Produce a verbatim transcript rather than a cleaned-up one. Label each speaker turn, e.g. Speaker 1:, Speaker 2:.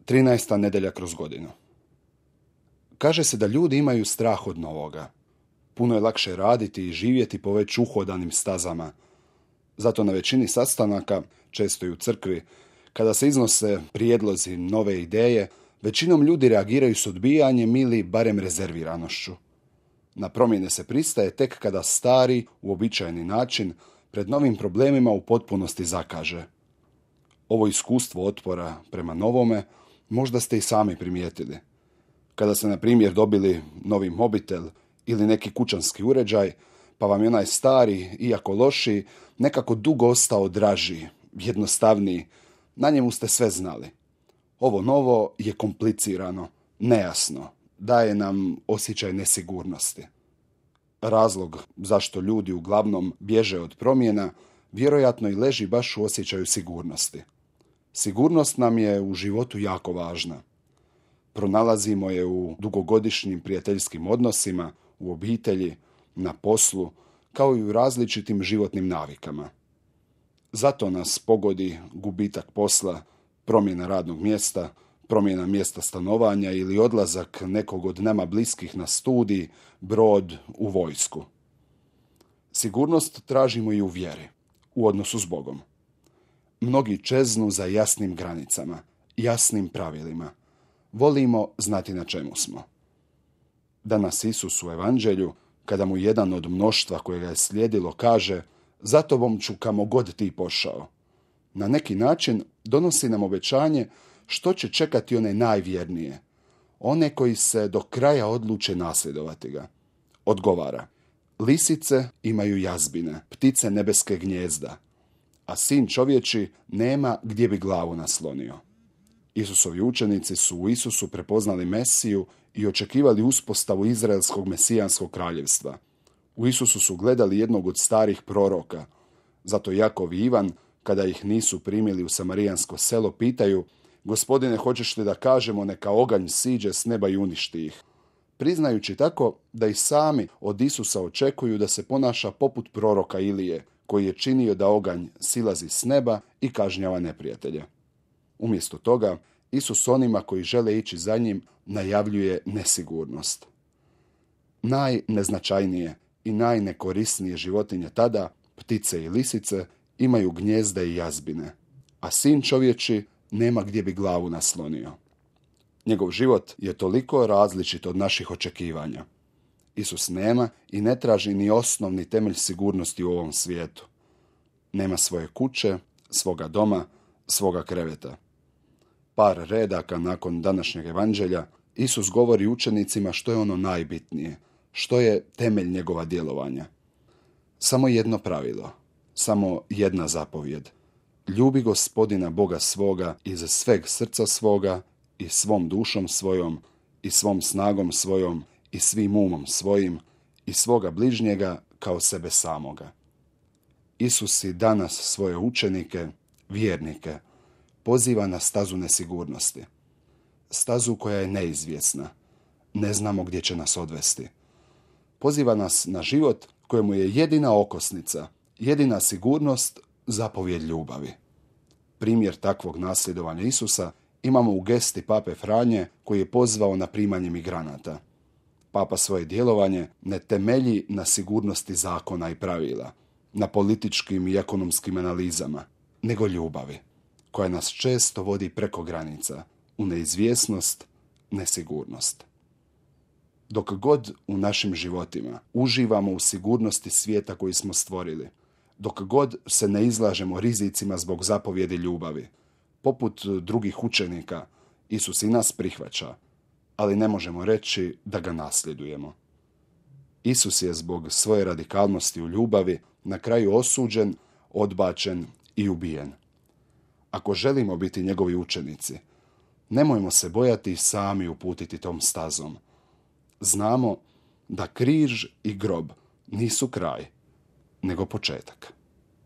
Speaker 1: trinaesta nedjelja kroz godinu. Kaže se da ljudi imaju strah od novoga. Puno je lakše raditi i živjeti po već uhodanim stazama. Zato na većini sastanaka, često i u crkvi, kada se iznose prijedlozi, nove ideje, većinom ljudi reagiraju s odbijanjem ili barem rezerviranošću. Na promjene se pristaje tek kada stari, uobičajeni način pred novim problemima u potpunosti zakaže. Ovo iskustvo otpora prema novome možda ste i sami primijetili. Kada ste, na primjer, dobili novi mobitel ili neki kućanski uređaj, pa vam je onaj stari, iako loši, nekako dugo ostao draži, jednostavniji, na njemu ste sve znali. Ovo novo je komplicirano, nejasno, daje nam osjećaj nesigurnosti. Razlog zašto ljudi uglavnom bježe od promjena vjerojatno i leži baš u osjećaju sigurnosti. Sigurnost nam je u životu jako važna. Pronalazimo je u dugogodišnjim prijateljskim odnosima, u obitelji, na poslu, kao i u različitim životnim navikama. Zato nas pogodi gubitak posla, promjena radnog mjesta, promjena mjesta stanovanja ili odlazak nekog od nama bliskih na studij, brod, u vojsku. Sigurnost tražimo i u vjeri, u odnosu s Bogom. Mnogi čeznu za jasnim granicama, jasnim pravilima. Volimo znati na čemu smo. Danas Isus u Evanđelju, kada mu jedan od mnoštva koje ga je slijedilo kaže: "Za tobom ću kamo god ti pošao", na neki način donosi nam obećanje što će čekati one najvjernije, one koji se do kraja odluče nasljedovati ga. Odgovara: "Lisice imaju jazbine, ptice nebeske gnijezda, a sin čovječi nema gdje bi glavu naslonio." Isusovi učenici su u Isusu prepoznali Mesiju i očekivali uspostavu izraelskog mesijanskog kraljevstva. U Isusu su gledali jednog od starih proroka. Zato Jakov i Ivan, kada ih nisu primili u samarijansko selo, pitaju: "Gospodine, hoćeš li da kažemo neka oganj siđe s neba i uništi ih?" Priznajući tako da i sami od Isusa očekuju da se ponaša poput proroka Ilije, koji je činio da oganj silazi s neba i kažnjava neprijatelje. Umjesto toga, Isus onima koji žele ići za njim najavljuje nesigurnost. Najneznačajnije i najnekorisnije životinje tada, ptice i lisice, imaju gnjezde i jazbine, a sin čovječi nema gdje bi glavu naslonio. Njegov život je toliko različit od naših očekivanja. Isus nema i ne traži ni osnovni temelj sigurnosti u ovom svijetu. Nema svoje kuće, svoga doma, svoga kreveta. Par redaka nakon današnjeg evanđelja Isus govori učenicima što je ono najbitnije, što je temelj njegova djelovanja. Samo jedno pravilo, samo jedna zapovjed. Ljubi Gospodina Boga svoga iz sveg srca svoga i svom dušom svojom i svom snagom svojom i svim umom svojim i svoga bližnjega kao sebe samoga. Isus i danas svoje učenike, vjernike, poziva na stazu nesigurnosti. Stazu koja je neizvjesna. Ne znamo gdje će nas odvesti. Poziva nas na život kojemu je jedina okosnica, jedina sigurnost zapovjed ljubavi. Primjer takvog nasljedovanja Isusa imamo u gesti pape Franje, koji je pozvao na primanje migranata. Papa svoje djelovanje ne temelji na sigurnosti zakona i pravila, na političkim i ekonomskim analizama, nego ljubavi, koja nas često vodi preko granica, u neizvjesnost, nesigurnost. Dok god u našim životima uživamo u sigurnosti svijeta koji smo stvorili, dok god se ne izlažemo rizicima zbog zapovjedi ljubavi, poput drugih učenika, Isus i nas prihvaća, ali ne možemo reći da ga nasljedujemo. Isus je zbog svoje radikalnosti u ljubavi na kraju osuđen, odbačen i ubijen. Ako želimo biti njegovi učenici, nemojmo se bojati sami uputiti tom stazom. Znamo da križ i grob nisu kraj, nego početak.